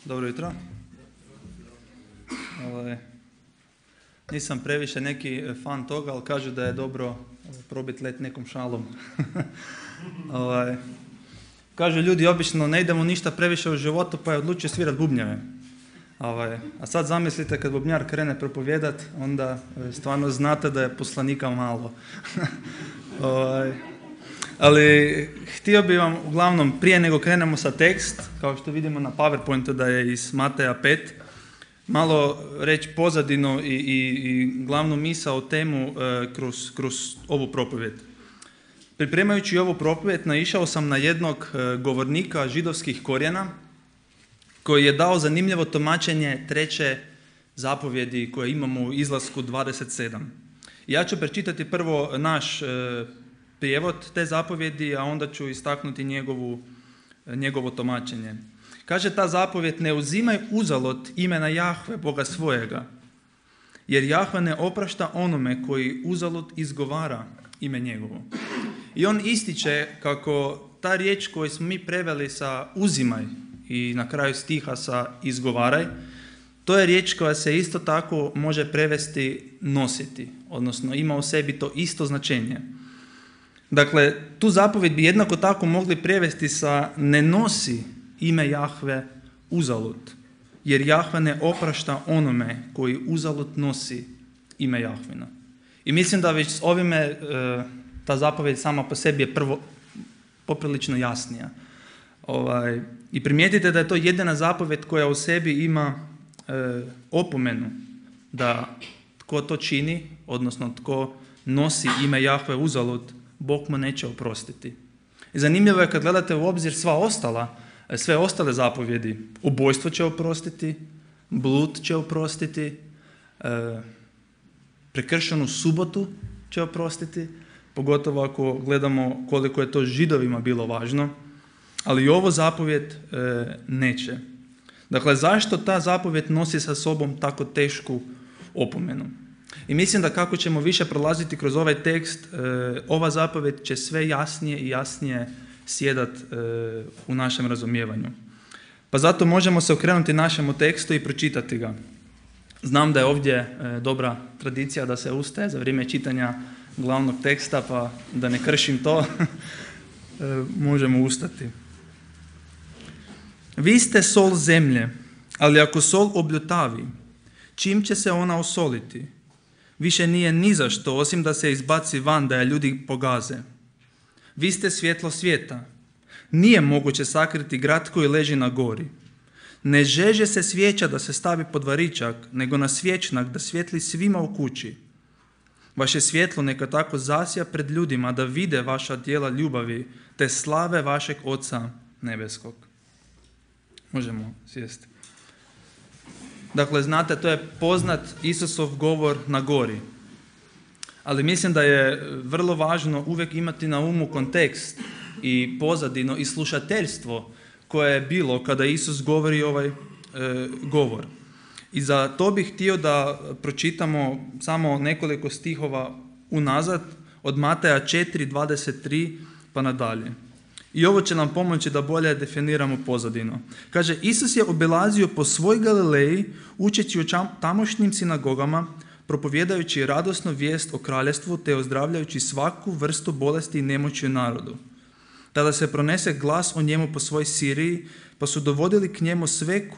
Dobro jutro. Nisam previše neki fan toga, ali kažu da je dobro probiti let nekom šalom. Kažu ljudi obično ne idemo ništa previše u životu, pa je odlučio svirat bubnjeve. A sad zamislite kad bubnjar krene propovijedat, onda stvarno znate da je poslanika malo. Ali htio bih vam uglavnom prije nego krenemo sa tekst, kao što vidimo na PowerPointu da je iz Mateja 5, malo reći pozadinu i glavnu misao o temu kroz ovu propovijed. Pripremajući ovu propovijed naišao sam na jednog govornika židovskih korijena koji je dao zanimljivo tumačenje treće zapovjedi koje imamo u Izlasku 27. Ja ću pročitati prvo naš prijevod te zapovjedi, a onda ću istaknuti njegovo tumačenje. Kaže ta zapovjed: ne uzimaj uzalud imena Jahve, Boga svojega, jer Jahve ne oprašta onome koji uzalud izgovara ime njegovo. I on ističe kako ta riječ koju smo mi preveli sa uzimaj i na kraju stiha sa izgovaraj, to je riječ koja se isto tako može prevesti nositi, odnosno ima u sebi to isto značenje. Dakle, tu zapovjed bi jednako tako mogli prevesti sa ne nosi ime Jahve uzalud, jer Jahve ne oprašta onome koji uzalud nosi ime Jahvina. I mislim da već s ovime ta zapovjed sama po sebi je prvo poprilično jasnija. I primijetite da je to jedina zapovjed koja u sebi ima opomenu da tko to čini, odnosno tko nosi ime Jahve uzalud, Bog mu neće oprostiti. I zanimljivo je kad gledate u obzir sve ostale zapovjedi. Ubojstvo će oprostiti, blud će oprostiti, prekršenu subotu će oprostiti, pogotovo ako gledamo koliko je to Židovima bilo važno, ali i ovo zapovjed neće. Dakle, zašto ta zapovjed nosi sa sobom tako tešku opomenu? I mislim da kako ćemo više prolaziti kroz ovaj tekst, ova zapovjed će sve jasnije i jasnije sjedat u našem razumijevanju. Pa zato možemo se okrenuti našemu tekstu i pročitati ga. Znam da je ovdje dobra tradicija da se ustaje za vrijeme čitanja glavnog teksta, pa da ne kršim to, možemo ustati. Vi ste sol zemlje, ali ako sol obljutavi, čim će se ona osoliti? Više nije ni za što, osim da se izbaci van, da je ljudi pogaze. Vi ste svjetlo svijeta. Nije moguće sakriti grad koji leži na gori. Ne žeže se svijeća da se stavi pod varičak, nego na svječnak da svijetli svima u kući. Vaše svjetlo neka tako zasja pred ljudima da vide vaša djela ljubavi, te slave vašeg Oca nebeskog. Možemo sjesti. Dakle, znate, to je poznat Isusov govor na gori. Ali mislim da je vrlo važno uvijek imati na umu kontekst i pozadino i slušateljstvo koje je bilo kada Isus govori ovaj govor. I za to bih htio da pročitamo samo nekoliko stihova unazad od Mateja 4:23 pa nadalje. I ovo će nam pomoći da bolje definiramo pozadinu. Kaže, Isus je obilazio po svoj Galileji, učeći u tamošnjim sinagogama, propovjedajući radosnu vijest o kraljestvu te ozdravljajući svaku vrstu bolesti i nemoći u narodu. Tada se pronese glas o njemu po svoj Siriji, pa su dovodili k njemu sve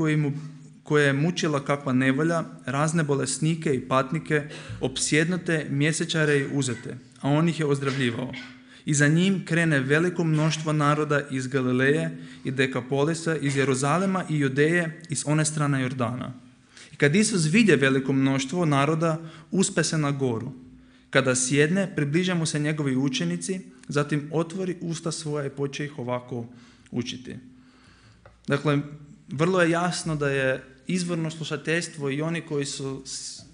koje je mučila kakva nevolja, razne bolesnike i patnike, opsjednute, mjesečare i uzete, a on ih je ozdravljivao. I za njim krene veliko mnoštvo naroda iz Galileje i Dekapolisa, iz Jeruzalema i Judeje, iz one strane Jordana. I kad Isus vidje veliko mnoštvo naroda, uspe se na goru. Kada sjedne, približe mu se njegovi učenici, zatim otvori usta svoja i počne ih ovako učiti. Dakle, vrlo je jasno da je izvorno slušateljstvo i oni koji su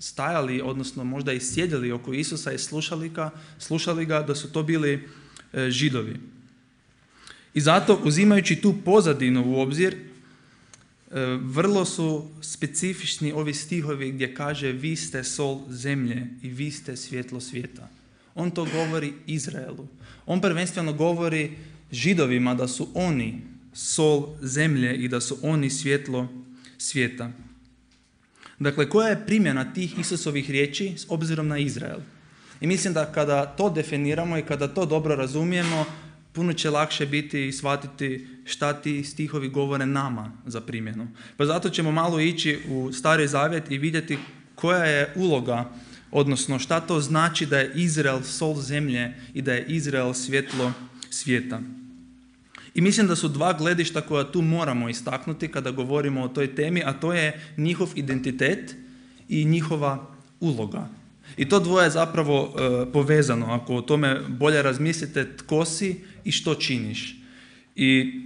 stajali, odnosno možda i sjedili oko Isusa i slušali ga, da su to bili Židovi. I zato, uzimajući tu pozadinu u obzir, vrlo su specifični ovi stihovi gdje kaže vi ste sol zemlje i vi ste svjetlo svijeta. On to govori Izraelu. On prvenstveno govori Židovima da su oni sol zemlje i da su oni svjetlo svijeta. Dakle, koja je primjena tih Isusovih riječi s obzirom na Izrael? I mislim da kada to definiramo i kada to dobro razumijemo, puno će lakše biti i shvatiti šta ti stihovi govore nama za primjenu. Pa zato ćemo malo ići u Stari Zavjet i vidjeti koja je uloga, odnosno šta to znači da je Izrael sol zemlje i da je Izrael svjetlo svijeta. I mislim da su dva gledišta koja tu moramo istaknuti kada govorimo o toj temi, a to je njihov identitet i njihova uloga. I to dvoje je zapravo povezano, ako o tome bolje razmislite tko si i što činiš. I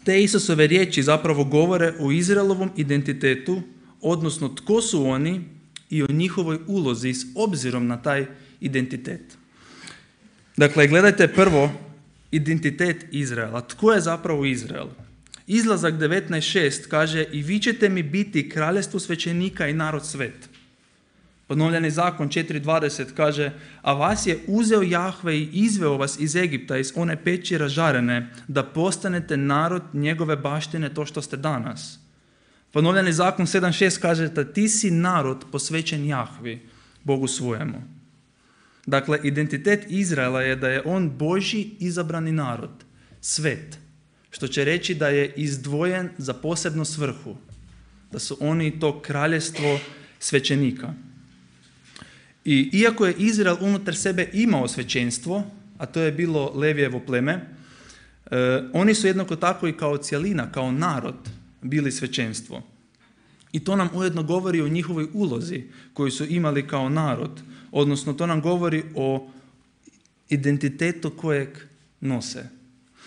te Isusove riječi zapravo govore o Izraelovom identitetu, odnosno tko su oni i o njihovoj ulozi s obzirom na taj identitet. Dakle, gledajte prvo identitet Izraela. Tko je zapravo Izrael? Izlazak 19.6 kaže: i vi ćete mi biti kraljevstvo svećenika i narod svet. Ponovljeni zakon 4.20 kaže: a vas je uzeo Jahve i izveo vas iz Egipta, iz one peći ražarene, da postanete narod njegove baštine, to što ste danas. Ponovljeni zakon 7.6 kaže da ti si narod posvećen Jahvi, Bogu svojemu. Dakle, identitet Izraela je da je on Božji izabrani narod, svet, što će reći da je izdvojen za posebnu svrhu, da su oni to kraljevstvo svećenika. I iako je Izrael unutar sebe imao svećenstvo, a to je bilo Levijevo pleme, oni su jednako tako i kao cjelina, kao narod, bili svećenstvo. I to nam ujedno govori o njihovoj ulozi koju su imali kao narod, odnosno to nam govori o identitetu kojeg nose.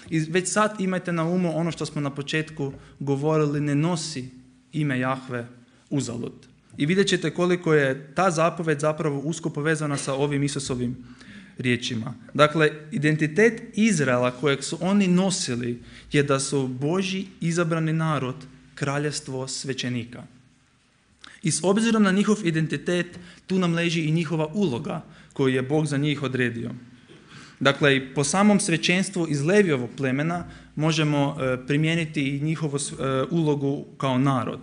I već sad imajte na umu ono što smo na početku govorili, ne nosi ime Jahve uzalud. I vidjet ćete koliko je ta zapoved zapravo usko povezana sa ovim Isusovim riječima. Dakle, identitet Izraela kojeg su oni nosili je da su Božji izabrani narod, kraljevstvo svećenika. I s obzirom na njihov identitet, tu nam leži i njihova uloga koju je Bog za njih odredio. Dakle, po samom svećenstvu iz Levijevog plemena možemo primijeniti i njihovu ulogu kao narod.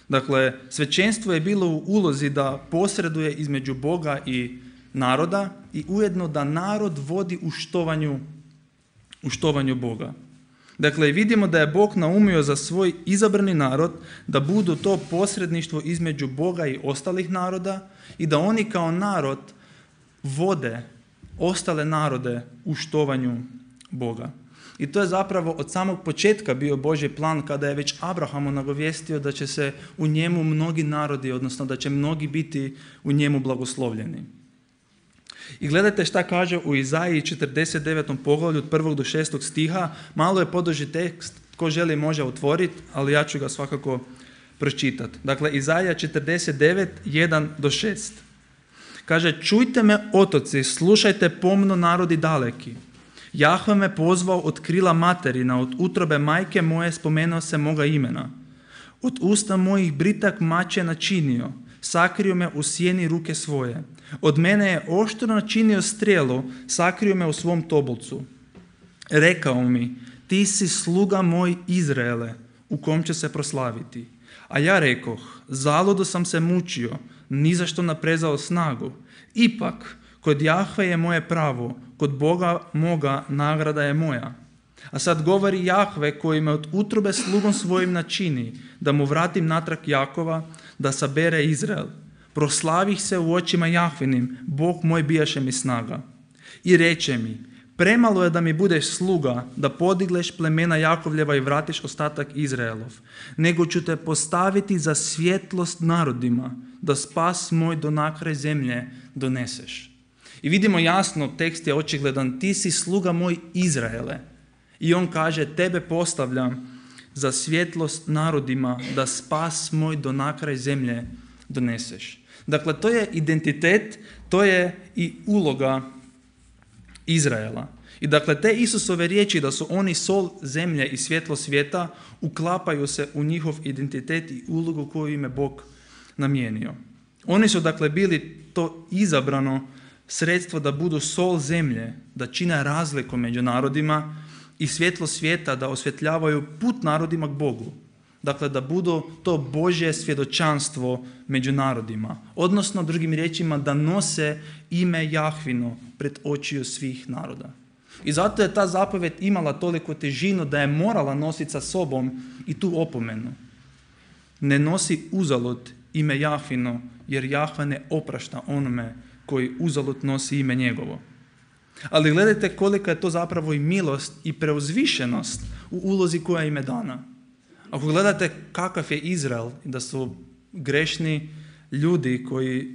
Dakle, svećenstvo je bilo u ulozi da posreduje između Boga i naroda i ujedno da narod vodi u štovanju Boga. Dakle, vidimo da je Bog naumio za svoj izabrani narod da budu to posredništvo između Boga i ostalih naroda i da oni kao narod vode ostale narode u štovanju Boga. I to je zapravo od samog početka bio Božji plan kada je već Abrahamu nagovijestio da će se u njemu mnogi narodi, odnosno da će mnogi biti u njemu blagoslovljeni. I gledajte šta kaže u Izaiji 49. poglavlju od 1. do 6. stiha. Malo je poduži tekst, tko želi može otvoriti, ali ja ću ga svakako pročitati. Dakle, Izaija 49, 1 do 6. Kaže: čujte me otoci, slušajte pomno narodi daleki. Jahve me pozvao od krila materina, od utrobe majke moje spomenuo se moga imena. Od usta mojih britak mač je načinio, sakrio me u sjeni ruke svoje. Od mene je oštro načinio strijelu, sakrio me u svom tobolcu. Rekao mi: ti si sluga moj Izraele, u kom će se proslaviti. A ja rekoh: zaludo sam se mučio, ni za što naprezao snagu. Ipak, kod Jahve je moje pravo, kod Boga moga nagrada je moja. A sad govori Jahve koji me od utrobe slugom svojim načini, da mu vratim natrag Jakova, da sabere Izrael. Proslavih se u očima Jahvinim, Bog moj bijaše mi snaga. I reče mi: premalo je da mi budeš sluga, da podigleš plemena Jakovljeva i vratiš ostatak Izraelov, nego ću te postaviti za svjetlost narodima, da spas moj do nakraj zemlje doneseš. I vidimo jasno, tekst je očigledan, ti si sluga moj Izraele. I on kaže: tebe postavljam za svjetlost narodima, da spas moj do nakraj zemlje doneseš. Dakle, to je identitet, to je i uloga Izraela. I dakle, te Isusove riječi da su oni sol zemlje i svjetlo svijeta uklapaju se u njihov identitet i ulogu koju im je Bog namijenio. Oni su dakle bili to izabrano sredstvo da budu sol zemlje, da čine razliku među narodima i svjetlo svijeta, da osvjetljavaju put narodima k Bogu. Dakle, da budu to Božje svjedočanstvo među narodima. Odnosno, drugim riječima, da nose ime Jahvino pred očiju svih naroda. I zato je ta zapovjed imala toliko težinu da je morala nositi sa sobom i tu opomenu. Ne nosi uzalud ime Jahvino, jer Jahve ne oprašta onome koji uzalud nosi ime njegovo. Ali gledajte kolika je to zapravo i milost i preuzvišenost u ulozi koja im je dana. Ako gledate kakav je Izrael, da su grešni ljudi koji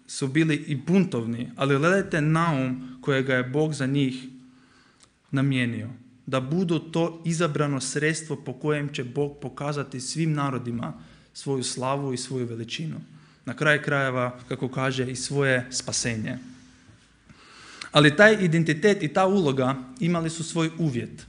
su bili i buntovni, ali gledajte naum kojega je Bog za njih namijenio. Da budu to izabrano sredstvo po kojem će Bog pokazati svim narodima svoju slavu i svoju veličinu. Na kraju krajeva, kako kaže, i svoje spasenje. Ali taj identitet i ta uloga imali su svoj uvjet.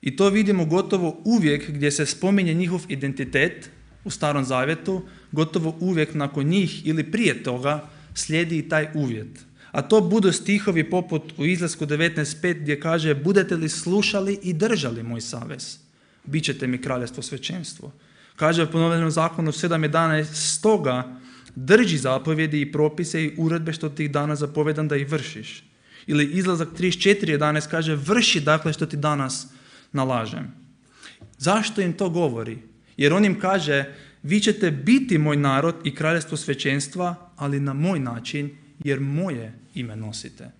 I to vidimo gotovo uvijek gdje se spominje njihov identitet u Starom Zavjetu, gotovo uvijek nakon njih ili prije toga slijedi i taj uvjet. A to budu stihovi poput u Izlasku 19.5 gdje kaže: budete li slušali i držali moj savez, bit ćete mi kraljevstvo svećenstvo. Kaže u ponovljenom zakonu 7.11: stoga drži zapovjedi i propise i uredbe što ti danas zapovedam da ih vršiš. Ili Izlazak 34.11 kaže: vrši dakle što ti danas nalažem. Zašto im to govori? Jer on im kaže: vi ćete biti moj narod i kraljevstvo svećenstva, ali na moj način, jer moje ime nosite.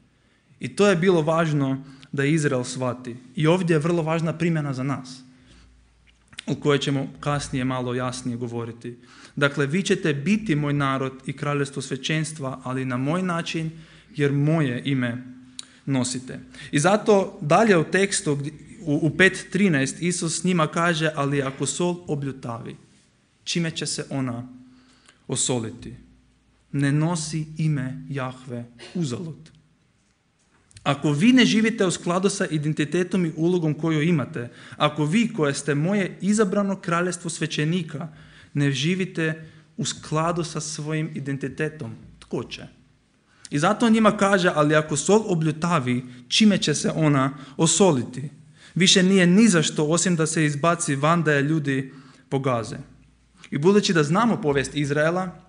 I to je bilo važno da Izrael shvati. I ovdje je vrlo važna primjena za nas, o kojoj ćemo kasnije malo jasnije govoriti. Dakle, vi ćete biti moj narod i kraljevstvo svećenstva, ali na moj način, jer moje ime nosite. I zato dalje u tekstu, u 5.13, Isus njima kaže: ali ako sol obljutavi, čime će se ona osoliti? Ne nosi ime Jahve uzalud. Ako vi ne živite u skladu sa identitetom i ulogom koju imate, ako vi koje ste moje izabrano kraljevstvo svećenika ne živite u skladu sa svojim identitetom, tko će? I zato on njima kaže: ali ako sol obljutavi, čime će se ona osoliti? Više nije ni za što osim da se izbaci van, da je ljudi pogaze. I budući da znamo povijest Izraela,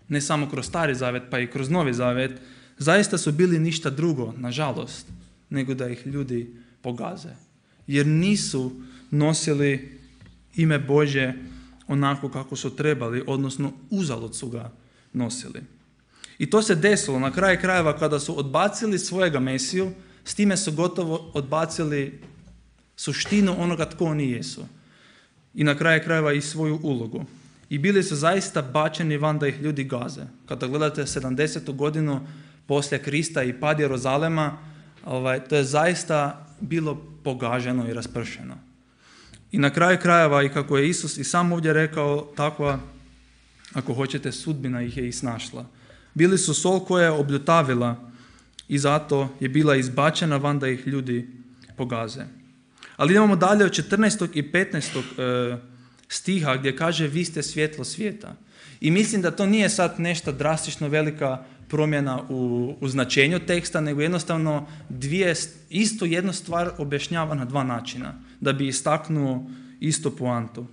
ne samo kroz Stari Zavjet, pa i kroz Novi Zavjet, zaista su bili ništa drugo, nažalost, nego da ih ljudi pogaze. Jer nisu nosili ime Božje onako kako su trebali, odnosno uzalud su ga nosili. I to se desilo na kraju krajeva kada su odbacili svojega Mesiju, s time su gotovo odbacili suštinu onoga tko oni jesu. I na kraju krajeva i svoju ulogu. I bili su zaista bačeni van da ih ljudi gaze. Kada gledate 70. godinu poslije Krista i pad Jeruzalema, to je zaista bilo pogaženo i raspršeno. I na kraju krajeva, i kako je Isus i sam ovdje rekao, takva, ako hoćete, sudbina ih je i snašla. Bili su sol koja je obljutavila i zato je bila izbačena van da ih ljudi pogaze. Ali idemo dalje od 14. i 15. stiha gdje kaže: vi ste svjetlo svijeta. I mislim da to nije sad nešto drastično velika promjena u značenju teksta, nego jednostavno isto jednu stvar objašnjava na dva načina, da bi istaknuo isto poantu.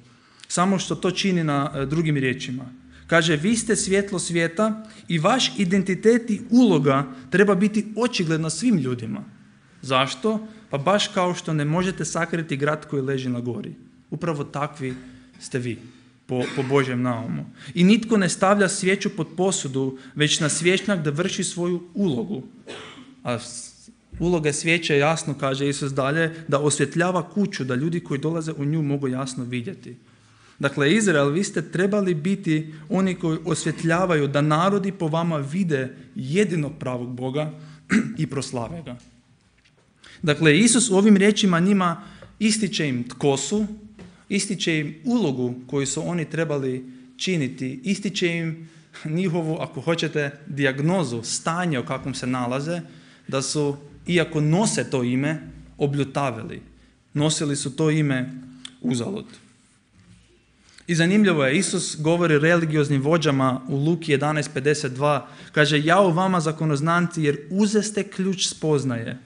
Samo što to čini na drugim riječima. Kaže: vi ste svjetlo svijeta i vaš identitet i uloga treba biti očigledna svim ljudima. Zašto? Pa baš kao što ne možete sakriti grad koji leži na gori. Upravo takvi ste vi, po Božjem naumu. I nitko ne stavlja svijeću pod posudu, već na svječnjak da vrši svoju ulogu. A uloga svijeće, jasno kaže Isus dalje, da osvjetljava kuću, da ljudi koji dolaze u nju mogu jasno vidjeti. Dakle, Izrael, vi ste trebali biti oni koji osvjetljavaju, da narodi po vama vide jedinog pravog Boga i proslave ga. Dakle, Isus u ovim riječima njima ističe im tko su, ističe im ulogu koju su oni trebali činiti, ističe im njihovu, ako hoćete, dijagnozu, stanje u kakvom se nalaze, da su, iako nose to ime, obljutavili. Nosili su to ime uzalud. I zanimljivo je, Isus govori religioznim vođama u Luki 11.52, kaže: jao vama zakonoznanci, jer uzeste ključ spoznaje.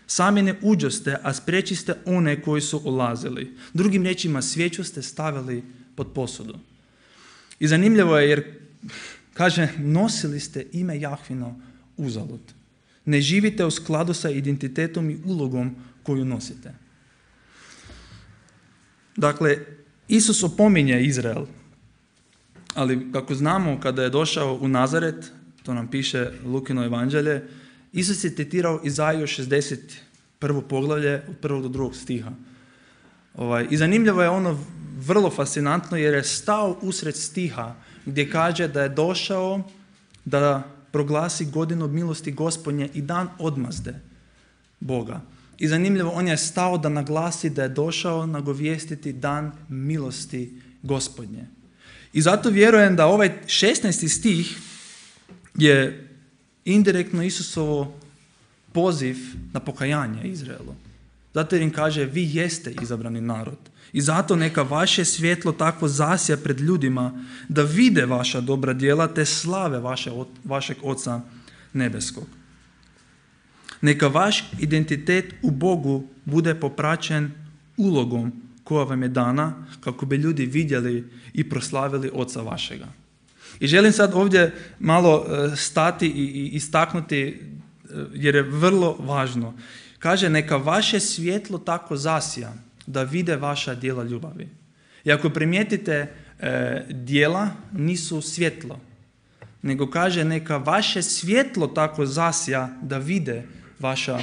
Sami ne uđoste, a spriječiste one koji su ulazili. Drugim riječima, svijeću ste stavili pod posudu. I zanimljivo je jer, kaže, nosili ste ime Jahvino uzalud. Ne živite u skladu sa identitetom i ulogom koju nosite. Dakle, Isus opominje Izrael, ali kako znamo, kada je došao u Nazaret, to nam piše Lukino evanđelje, Isus je citirao Izaiju 61. poglavlje od 1. do 2. stiha. I zanimljivo je ono vrlo fascinantno jer je stao usred stiha gdje kaže da je došao da proglasi godinu milosti Gospodnje i dan odmazde Boga. I zanimljivo, on je stao da naglasi da je došao nagovijestiti dan milosti Gospodnje. I zato vjerujem da ovaj 16. stih je indirektno Isusovo poziv na pokajanje Izraelu. Zato jer im kaže, vi jeste izabrani narod. I zato neka vaše svjetlo tako zasja pred ljudima da vide vaša dobra djela te slave vašeg Oca nebeskog. Neka vaš identitet u Bogu bude popraćen ulogom koja vam je dana kako bi ljudi vidjeli i proslavili Oca vašega. I želim sad ovdje malo stati i istaknuti jer je vrlo važno. Kaže, neka vaše svjetlo tako zasja da vide vaša djela ljubavi. I ako primijetite, djela nisu svjetlo, nego kaže, neka vaše svjetlo tako zasja da vide vaša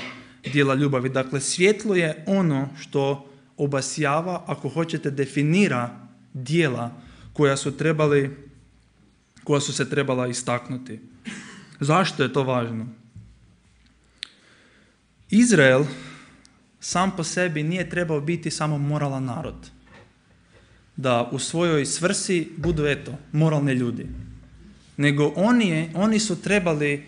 djela ljubavi. Dakle, svjetlo je ono što obasjava, ako hoćete, definira djela koja su se trebala istaknuti. Zašto je to važno? Izrael sam po sebi nije trebao biti samo moralan narod. Da u svojoj svrsi budu, moralni ljudi. Nego oni su trebali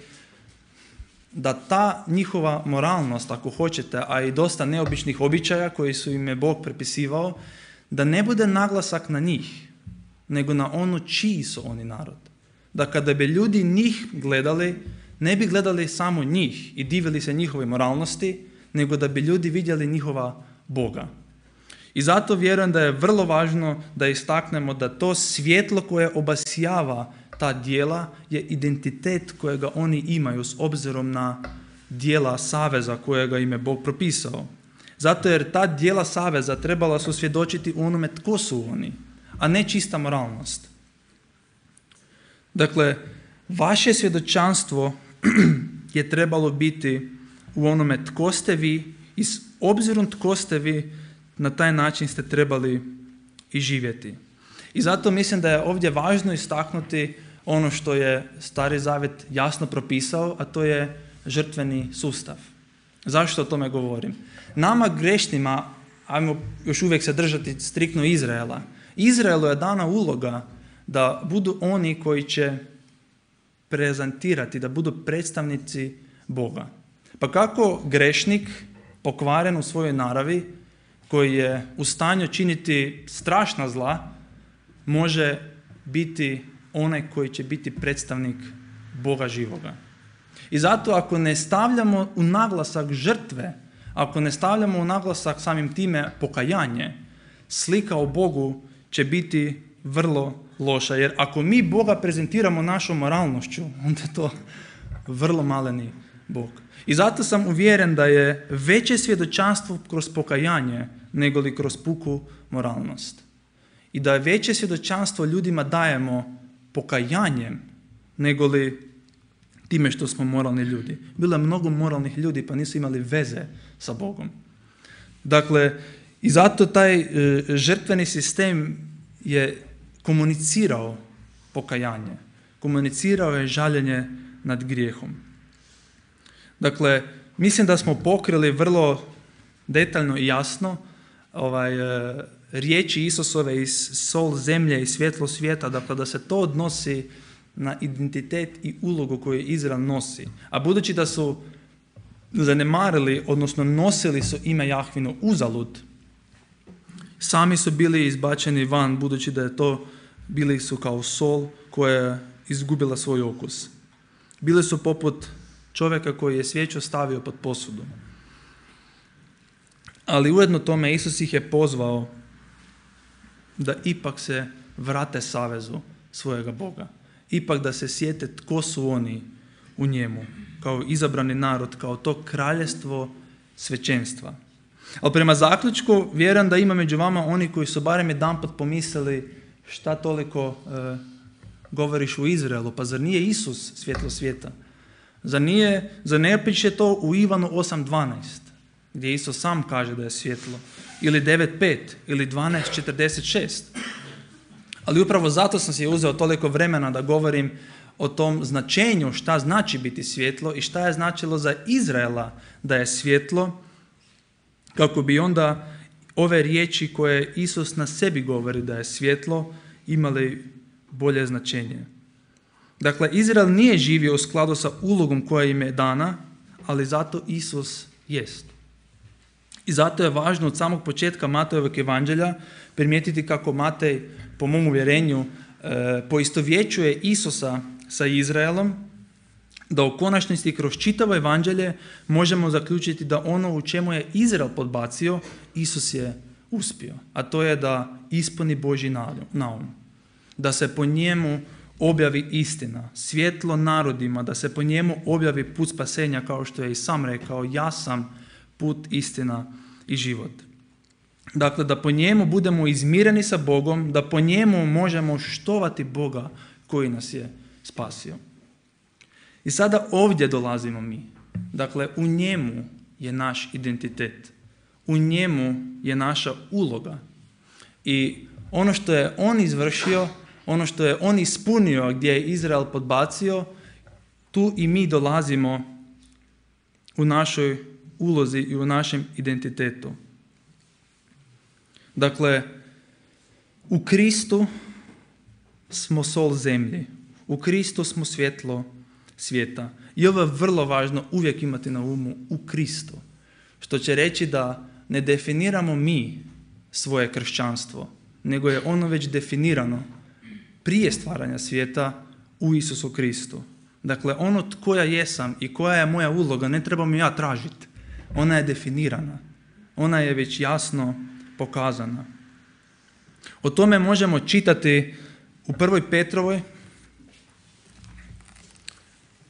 da ta njihova moralnost, ako hoćete, a i dosta neobičnih običaja koji su im je Bog prepisivao, da ne bude naglasak na njih, nego na ono čiji su oni narod. Da kada bi ljudi njih gledali, ne bi gledali samo njih i divili se njihove moralnosti, nego da bi ljudi vidjeli njihova Boga. I zato vjerujem da je vrlo važno da istaknemo da to svjetlo koje obasjava ta djela je identitet kojega oni imaju s obzirom na djela saveza kojega im je Bog propisao. Zato jer ta djela saveza trebala su svjedočiti u onome tko su oni, a ne čista moralnost. Dakle, vaše svjedočanstvo je trebalo biti u onome tko ste vi i s obzirom tko ste vi, na taj način ste trebali i živjeti. I zato mislim da je ovdje važno istaknuti ono što je Stari Zavjet jasno propisao, a to je žrtveni sustav. Zašto o tome govorim? Nama grešnima, ajmo još uvijek se držati striktno Izraela, Izraelu je dana uloga da budu oni koji će prezentirati, da budu predstavnici Boga. Pa kako grešnik, pokvaren u svojoj naravi, koji je u stanju činiti strašna zla, može biti onaj koji će biti predstavnik Boga živoga. I zato ako ne stavljamo u naglasak žrtve, ako ne stavljamo u naglasak samim time pokajanje, slika o Bogu će biti vrlo loša. Jer ako mi Boga prezentiramo našom moralnošću, onda je to vrlo maleni Bog. I zato sam uvjeren da je veće svjedočanstvo kroz pokajanje nego li kroz puku moralnost. I da je veće svjedočanstvo ljudima dajemo pokajanjem nego li time što smo moralni ljudi. Bilo je mnogo moralnih ljudi pa nisu imali veze sa Bogom. Dakle, i zato taj žrtveni sistem je komunicirao pokajanje. Komunicirao je žaljenje nad grijehom. Dakle, mislim da smo pokrili vrlo detaljno i jasno riječi Isusove iz sol zemlje i svjetlo svijeta, dakle da se to odnosi na identitet i ulogu koju Izrael nosi. A budući da su zanemarili, odnosno nosili su ime Jahvino uzalud, sami su bili izbačeni van, budući da je to, bili su kao sol koja je izgubila svoj okus. Bili su poput čovjeka koji je svijeću stavio pod posudu. Ali ujedno tome Isus ih je pozvao da ipak se vrate savezu svojega Boga. Ipak da se sjete tko su oni u njemu, kao izabrani narod, kao to kraljevstvo svećenstva. Ali prema zaključku vjerujem da ima među vama oni koji su barem jedanput pomislili šta toliko govoriš u Izraelu, pa zar nije Isus svjetlo svijeta? Zar ne piše to u Ivanu 8.12, gdje Isus sam kaže da je svjetlo, ili 9.5, ili 12.46. Ali upravo zato sam si uzeo toliko vremena da govorim o tom značenju šta znači biti svjetlo i šta je značilo za Izraela da je svjetlo, kako bi onda ove riječi koje Isus na sebi govori da je svjetlo imali bolje značenje. Dakle, Izrael nije živio u skladu sa ulogom koja im je dana, ali zato Isus jest. I zato je važno od samog početka Matejevog evanđelja primijetiti kako Matej, po mom uvjerenju, poistovjećuje Isusa sa Izraelom, da u konačnici kroz čitavo evanđelje možemo zaključiti da ono u čemu je Izrael podbacio, Isus je uspio. A to je da ispuni Božji naum. Da se po njemu objavi istina, svjetlo narodima, da se po njemu objavi put spasenja, kao što je i sam rekao, ja sam put, istina i život. Dakle, da po njemu budemo izmireni sa Bogom, da po njemu možemo štovati Boga koji nas je spasio. I sada ovdje dolazimo mi. Dakle, u njemu je naš identitet. U njemu je naša uloga. I ono što je on izvršio, ono što je on ispunio gdje je Izrael podbacio, tu i mi dolazimo u našoj ulozi i u našem identitetu. Dakle, u Kristu smo sol zemlji. U Kristu smo svjetlo svijeta. I ovo je vrlo važno uvijek imati na umu, u Kristu. Što će reći da ne definiramo mi svoje kršćanstvo, nego je ono već definirano prije stvaranja svijeta u Isusu Kristu. Dakle, ono tko ja jesam i koja je moja uloga ne trebam ja tražiti. Ona je definirana. Ona je već jasno pokazana. O tome možemo čitati u 1. Petrovoj.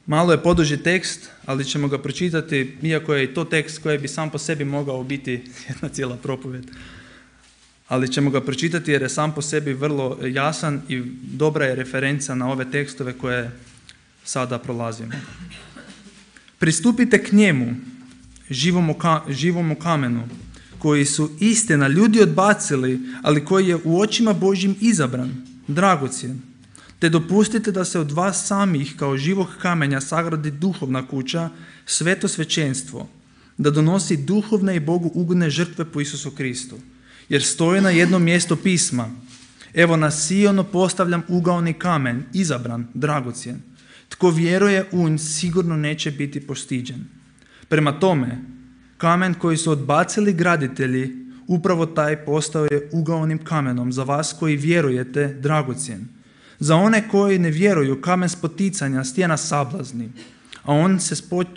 Malo je poduži tekst, ali ćemo ga pročitati, iako je i to tekst koji bi sam po sebi mogao biti jedna cijela propovjed. Ali ćemo ga pročitati jer je sam po sebi vrlo jasan i dobra je referenca na ove tekstove koje sada prolazimo. Pristupite k njemu, živomu kamenu, koji su istina ljudi odbacili, ali koji je u očima Božjim izabran, dragocjen. Te dopustite da se od vas samih kao živog kamenja sagradi duhovna kuća, sveto svećenstvo, da donosi duhovne i Bogu ugodne žrtve po Isusu Kristu. Jer stoji na jednom mjestu pisma: evo na Sionu postavljam ugaoni kamen, izabran, dragocjen. Tko vjeruje u nj sigurno neće biti postiđen. Prema tome, kamen koji su odbacili graditelji, upravo taj postao je ugaonim kamenom za vas koji vjerujete, dragocjen. Za one koji ne vjeruju, kamen spoticanja, stijena sablazni, a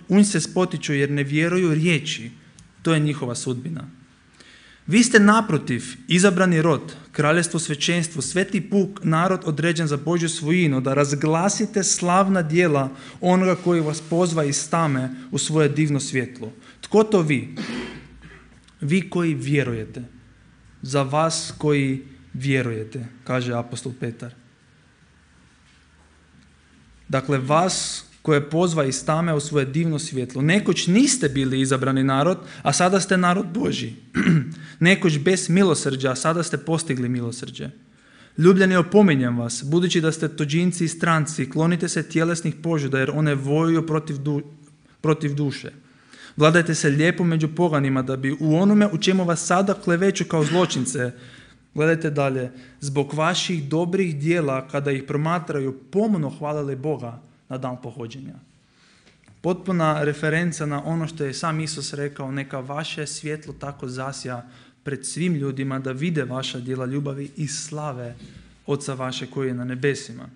on se spotiču jer ne vjeruju riječi. To je njihova sudbina. Vi ste naprotiv izabrani rod, kraljevstvo svećenstvo, sveti puk, narod određen za Božju svojinu, da razglasite slavna djela onoga koji vas pozva iz tame u svoje divno svjetlo. Tko to vi? Vi koji vjerujete. Za vas koji vjerujete, kaže apostol Petar. Dakle, vas koje pozva iz tame u svoje divno svjetlo. Nekoć niste bili izabrani narod, a sada ste narod Božji. Nekoć bez milosrđa, a sada ste postigli milosrđe. Ljubljeni, opominjem vas, budući da ste tuđinci i stranci, klonite se tjelesnih požuda, jer one vojuju protiv duše. Vladajte se lijepo među poganima, da bi u onome u čemu vas sada kleveću kao zločince, gledajte dalje, zbog vaših dobrih djela, kada ih promatraju, pomno hvalili Boga na dan pohođenja. Potpuna referenca na ono što je sam Isus rekao: neka vaše svjetlo tako zasja pred svim ljudima, da vide vaša djela ljubavi i slave Oca vaše koji je na nebesima.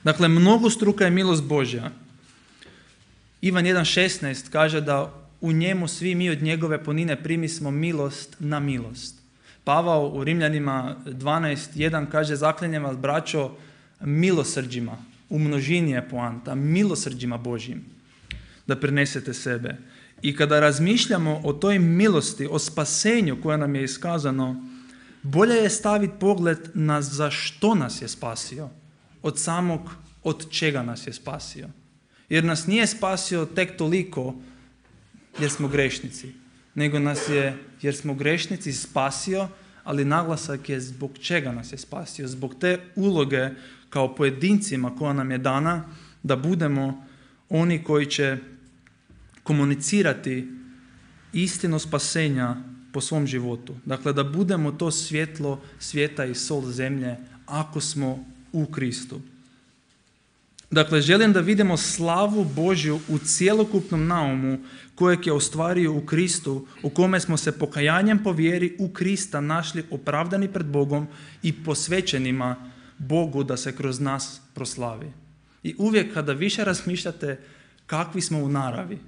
Dakle, mnogostruka je milost Božja. Ivan 1.16 kaže da u njemu svi mi od njegove punine primismo milost na milost. Pavao u Rimljanima 12.1 kaže: zaklinjem vas, braćo, milosrđima, u množini je poanta, milosrđima Božjim, da prenesete sebe. I kada razmišljamo o toj milosti, o spasenju koje nam je iskazano, bolje je staviti pogled na za što nas je spasio, od samog od čega nas je spasio. Jer nas nije spasio tek toliko jer smo grešnici, nego nas je, jer smo grešnici, spasio, ali naglasak je zbog čega nas je spasio. Zbog te uloge kao pojedincima koja nam je dana, da budemo oni koji će komunicirati istinu spasenja po svom životu. Dakle, da budemo to svjetlo svijeta i sol zemlje ako smo u Kristu. Dakle, želim da vidimo slavu Božju u cjelokupnom naumu kojeg je ostvario u Kristu, u kome smo se pokajanjem po vjeri u Krista našli opravdani pred Bogom i posvećenima Bogu da se kroz nas proslavi. I uvijek kada više razmišljate kakvi smo u naravi,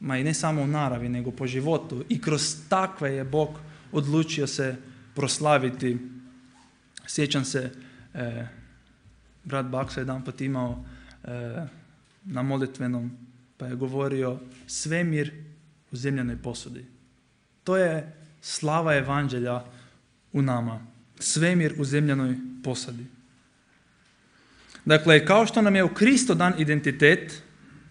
ma i ne samo u naravi, nego po životu, i kroz takve je Bog odlučio se proslaviti. Sjećam se, brat Baksa jedanput imao na molitvenom, pa je govorio svemir u zemljanoj posudi. To je slava evanđelja u nama. Svemir u zemljanoj posadi. Dakle, kao što nam je u Kristu dan identitet,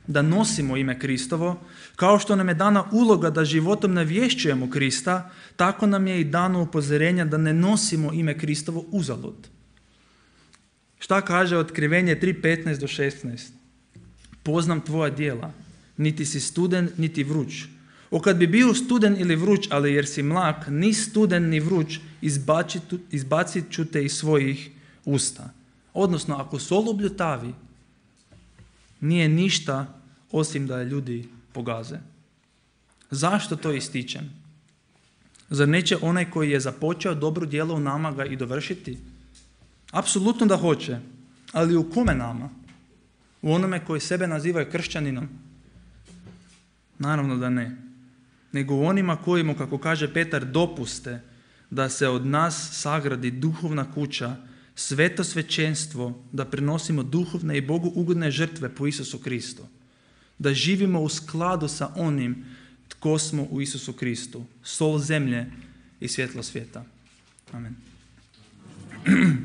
da nosimo ime Kristovo, kao što nam je dana uloga da životom navješćujemo Krista, tako nam je i dano upozorenje da ne nosimo ime Kristovo uzalud. Šta kaže Otkrivenje 3.15 do 16? Poznam tvoja djela, niti si studen, niti vruć. O kad bi bio studen ili vruć, ali jer si mlak, ni studen ni vruć, izbacit ću te iz svojih usta. Odnosno, ako sol ubljutavi, nije ništa osim da je ljudi pogaze. Zašto to ističem? Zar neće onaj koji je započeo dobro djelo u nama ga i dovršiti? Apsolutno da hoće, ali u kome nama? U onome koji sebe nazivaju kršćaninom? Naravno da ne. Nego u onima kojima, kako kaže Petar, dopuste da se od nas sagradi duhovna kuća, sveto svećenstvo, da prinosimo duhovne i Bogu ugodne žrtve po Isusu Kristu. Da živimo u skladu sa onim tko smo u Isusu Kristu, sol zemlje i svjetlo svijeta. Amen.